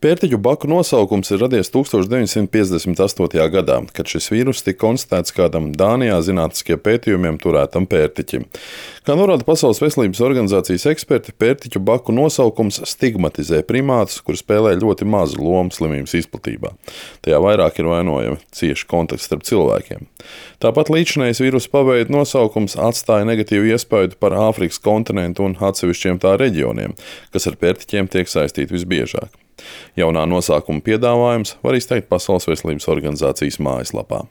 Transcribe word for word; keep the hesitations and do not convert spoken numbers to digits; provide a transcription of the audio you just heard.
Pērtiķu baku nosaukums ir radies tūkstoš deviņsimt piecdesmit astotajā gadā, kad šis vīrus tika konstatēts kādam Dānijā zinātniskiem pētījumiem turētam pērtiķim. Kā norāda Pasaules veselības organizācijas eksperti, pērtiķu baku nosaukums stigmatizē primātus, kur spēlē ļoti mazu lomu slimības izplatībā. Tajā vairāk ir vainojami cieši kontakti starp cilvēkiem. Tāpat līdzinājais vīrusu paveida nosaukums atstāja negatīvu iespaidu par Āfrikas kontinentu un atsevišķiem tā reģioniem, kas ar pērtiķiem tiek saistīti visbiežāk. Jaunā nosaukuma piedāvājums var izteikt Pasaules veselības organizācijas mājaslapā.